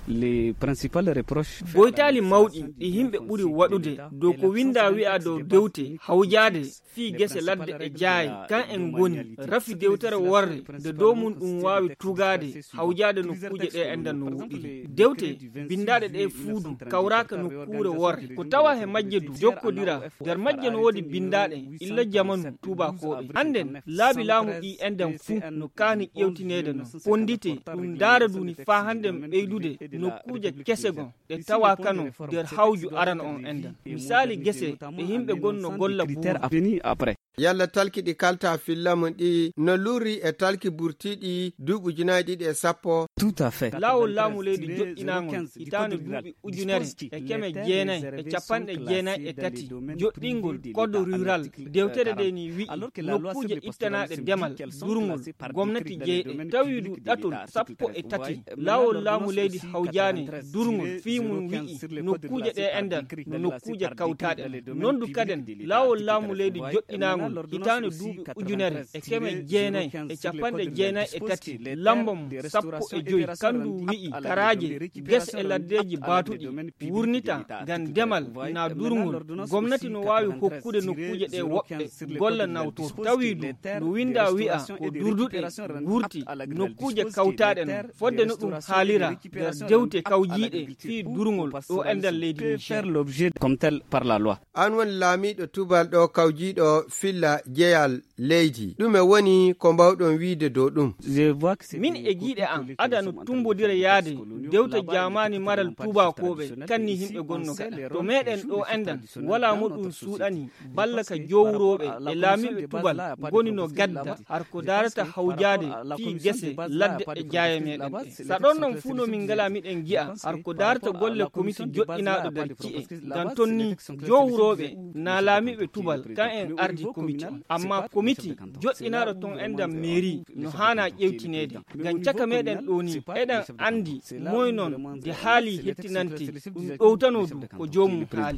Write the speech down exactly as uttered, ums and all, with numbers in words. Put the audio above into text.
Les principales reproches. Boytaali mawɗi ɗi yimɓe ɓuri waɗude dow ko winndaa wi'a dow dewte hawjaade fii gese ladde e jaaye, kan en ngoni rafi dewtere worre nde dow mum ɗum waawi tugaade hawjaade nokkuuje ɗe enɗan no woɗɗiri. Dewte binndaaɗe ɗe fuudu kawraaka nokkuure worre. Ko tawa he majje du jokkodira. Nder majje no woodi binndaaɗe illa jamanu tuubakooɓe. Hannden laabi laamu ɗi enɗan fuu no kaani ƴeewtineede no. Fonndite ɗum ndaara duni faa hannden ɓeydude nokkuuje kese gon ɗe tawa kano nder hawju arano on enɗan. Misaali gese ɗe yimɓe gon no golla buuɗi. Yalla talki ɗi kalta filla mum ɗi no lurri e talki burtiiɗi duuɓi ujunaaji ɗiɗi e sappo? Tout à fait. Laawol laamu leydi joɗɗinaangol hitaande duuɓi ujunere e keme jeenay e capanɗe jeenay e tati. Joɗɗingol code rural dewtere nde ni wi'i nokkuuje ittanaaɗe demal durngol gomnati jeyɗe tawi du ɗatol sappo e tati. Laawol laamu leydi hawjaani durngol fii mum wi'i nokkuuje ɗe enɗan no nokkuuje kawtaaɗe. Non du kaden laawol laamu leydi joɗɗinaangol hitaande duuɓi ujunere e keme jeenay e capanɗe jeenay e tati lamba mum sappo e joy kandu wi'i karaaje gese e laddeeji baatuɗi wurnita ngam demal na durngol. Gomnati no waawi hokkude nokkuuje ɗe woɓɓe golla nawtor tawi du no winnda wi'a ko durduɗe gurti nokkuuje kawtaaɗe non fodde no ɗum haalira nder dewte kawjiiɗe fii durngol ɗo enɗan leydi Niger. Comme tel par la loi. An woni laamiiɗo tubal ɗo kawjiiɗo filla jeyal leydi. Ɗume woni ko mbawɗon wiide dow ɗum? Min e giiɗe an ada no tumbodira yaade dewte jaamaani maral tuubakooɓe kanni yimɓe gonno gaɗa to meɗen ɗo enɗan wala mo ɗum suuɗani balla ka jowrooɓe e laamiiɓe tubal ngoni no gadda har ko daarata hawjaade fii gese ladde e jaaye meɗen ɗe. Sa ɗon non fuu no min ngala miɗen gi'a har ko daarata golle komiti joɗɗinaaɗo nder ci'e ngam ton ni jowrooɓe na laamiiɓe tubal kan en ardi komiti on amma komiti joɗɗinaaɗo ton enɗan meeri no haana ƴewtineede ngam caka meɗen ɗo ni eɗen anndi moy non nde haali hettinante ɗum ɗowtano du ko joomum haali.